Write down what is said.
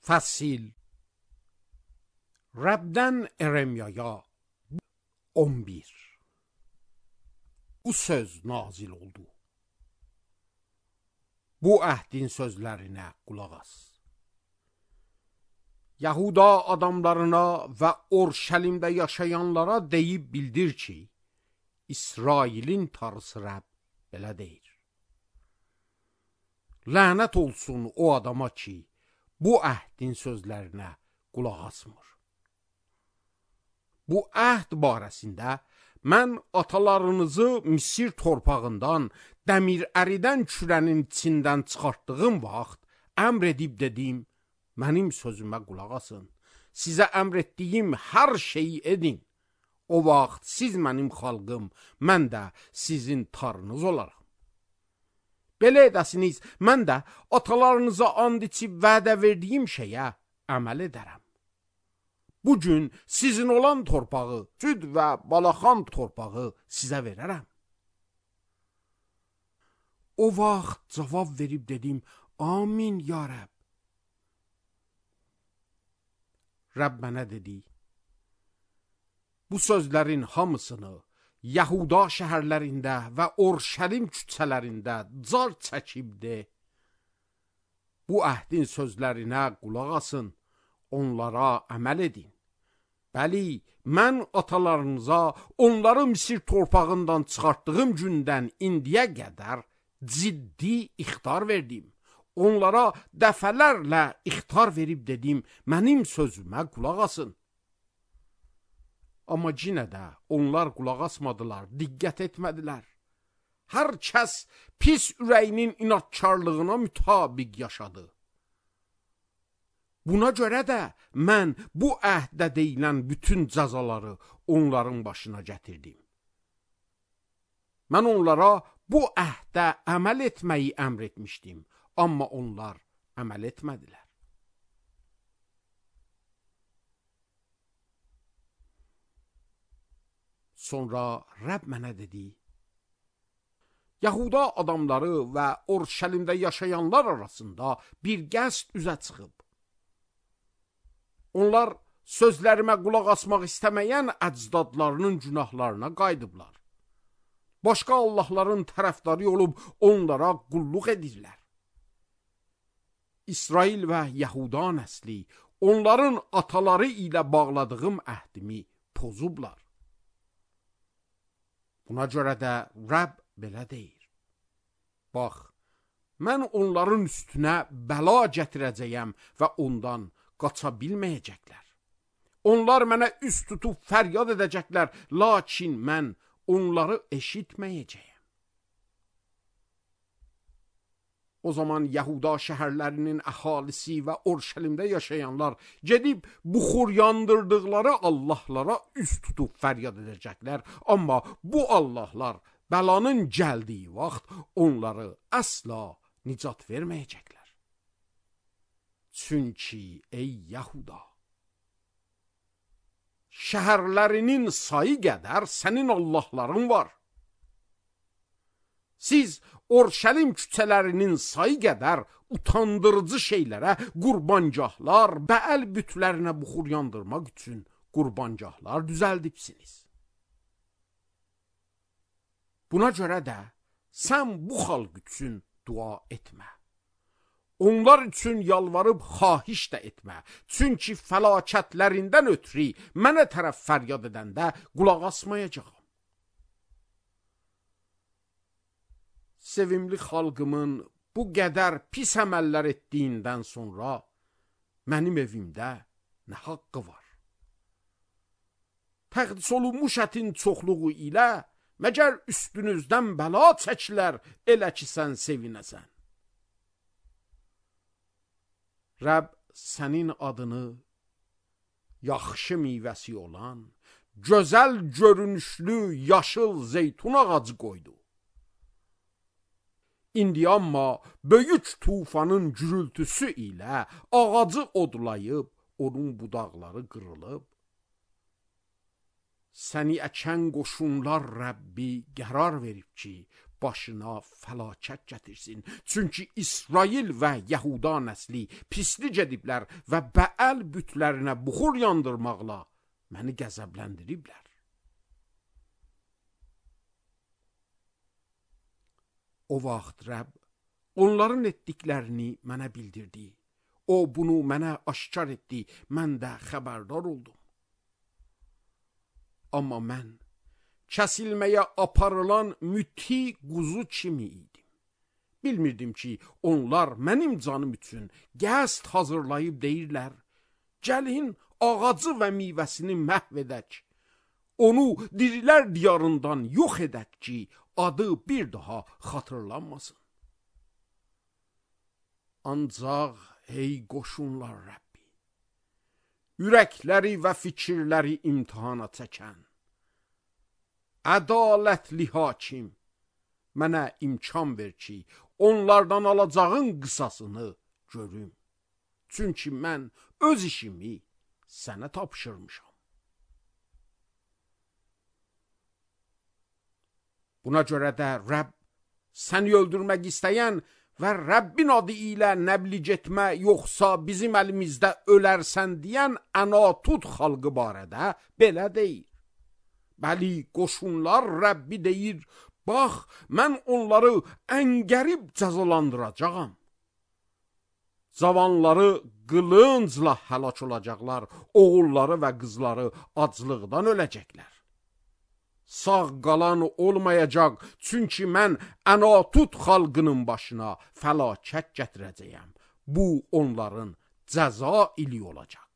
Fəsil Rəbdən Eremiyaya 11. Bu söz nazil oldu. Bu əhdin sözlərinə qulaq as. Yahuda adamlarına və Orşəlimdə yaşayanlara deyib bildir ki, İsrailin Tanrısı Rəbb belə deyir. Lənət olsun o adama ki, bu əhdin sözlərinə qulaq asmır. Bu əhd barəsində mən atalarınızı Misir torpağından, dəmir əridən kürənin içindən çıxartdığım vaxt əmr edib dedim, mənim sözümə qulaq asın. Sizə əmr etdiyim hər şeyi edin. O vaxt siz mənim xalqım, mən də sizin Tanrınız olaram. Belə edəsiniz, mən də atalarınıza and içib vədə verdiyim şeyə əməl edərəm. Bugün sizin olan torpağı, süd və balaxan torpağı sizə verərəm. O vaxt cavab verib dedim, amin ya Rəbb. Rəbb mənə dedi, bu sözlərin hamısını Yahuda şəhərlərində və Orşəlim küçələrində car çəkib de. Bu əhdin sözlərinə qulaq asın, onlara əməl edin. Bəli, mən atalarınıza onları Misir torpağından çıxartdığım gündən indiyə qədər ciddi ixtar verdim. Onlara dəfələrlə ixtar verib dedim, mənim sözümə qulaq asın. Amma yenə də onlar qulaq asmadılar, diqqət etmədilər. Hər kəs pis ürəyinin inatkarlığına mütabiq yaşadı. Buna görə də mən bu əhdə deyilən bütün cəzaları onların başına gətirdim. Mən onlara bu əhdə əməl etməyi əmr etmişdim, amma onlar əməl etmədilər. Sonra Rəbb mənə dedi, Yahuda adamları və Orşəlimdə yaşayanlar arasında bir qəsd üzə çıxıb. Onlar sözlərimə qulaq asmaq istəməyən əcdadlarının günahlarına qayıdıblar. Başqa Allahların tərəfdarı olub onlara qulluq edirlər. İsrail və Yahuda nəsli onların ataları ilə bağladığım əhdimi pozublar. Buna görə də Rəbb belə deyir. Bax, mən onların üstünə bəla gətirəcəyəm və ondan qaça bilməyəcəklər. Onlar mənə üst tutub fəryad edəcəklər, lakin mən onları eşitməyəcəyəm. O zaman Yahuda şəhərlərinin əhalisi və Orşəlimdə yaşayanlar gedib buxur yandırdıqları Allahlara üst tutub fəryad edəcəklər. Amma bu Allahlar bəlanın gəldiyi vaxt onları əsla nicat verməyəcəklər. Çünki ey Yahuda, şəhərlərinin sayı qədər sənin Allahların var. Siz Orşəlim küçələrinin sayı qədər utandırıcı şeylərə qurbancahlar, bəəl bütlərinə buxur yandırmaq üçün qurbancahlar düzəldibsiniz. Buna görə də sən bu xalq üçün dua etmə. Onlar üçün yalvarıb xahiş də etmə. Çünki fəlakətlərindən ötürü mənə tərəf fəryad edəndə qulaq asmayacağam. Sevimli xalqımın bu qədər pis əməllər etdiyindən sonra mənim evimdə nə haqqı var? Təqdis olunmuş ətin çoxluğu ilə məgər üstünüzdən bəla çəkilər, elə ki sən sevinəsən. Rəbb sənin adını yaxşı meyvəsi olan, gözəl görünüşlü yaşıl zeytun ağacı qoydu. İndi amma böyük tufanın gürültüsü ilə ağacı odlayıb, onun budaqları qırılıb. Səni əkən qoşunlar Rəbbi qərar verib ki, başına fəlakət gətirsin. Çünki İsrail və Yahuda nəsli pislik ediblər və Bəəl bütlərinə buxur yandırmaqla məni qəzəbləndiriblər. O vaxt Rəbb onların etdiklərini mənə bildirdi. O bunu mənə aşkar etdi, mən də xəbərdar oldum. Amma mən kəsilməyə aparılan müti quzu kimi idim. Bilmirdim ki, onlar mənim canım üçün qəsd hazırlayıb deyirlər, gəlin ağacı və meyvəsini məhv edək, onu dirilər diyarından yox edək ki, adı bir daha xatırlanmasın. Ancaq ey qoşunlar Rəbbi, ürəkləri və fikirləri imtihana çəkən, ədalətli hakim, mənə imkan ver ki, onlardan alacağın qısasını görüm. Çünki mən öz işimi sənə tapşırmışam. Buna görə də Rəbb səni öldürmək istəyən və Rəbbin adı ilə nəbliğ etmə yoxsa bizim əlimizdə ölərsən deyən Ənatut xalqı barədə belə deyir. Bəli, qoşunlar Rəbbi deyir, bax, mən onları əngərib cəzalandıracağam. Cavanları qılıncla həlak olacaqlar, oğulları və qızları aclıqdan öləcəklər. Sağ qalan olmayacaq, çünki mən Ənatut xalqının başına fəlakət gətirəcəyəm. Bu onların cəza ili olacaq.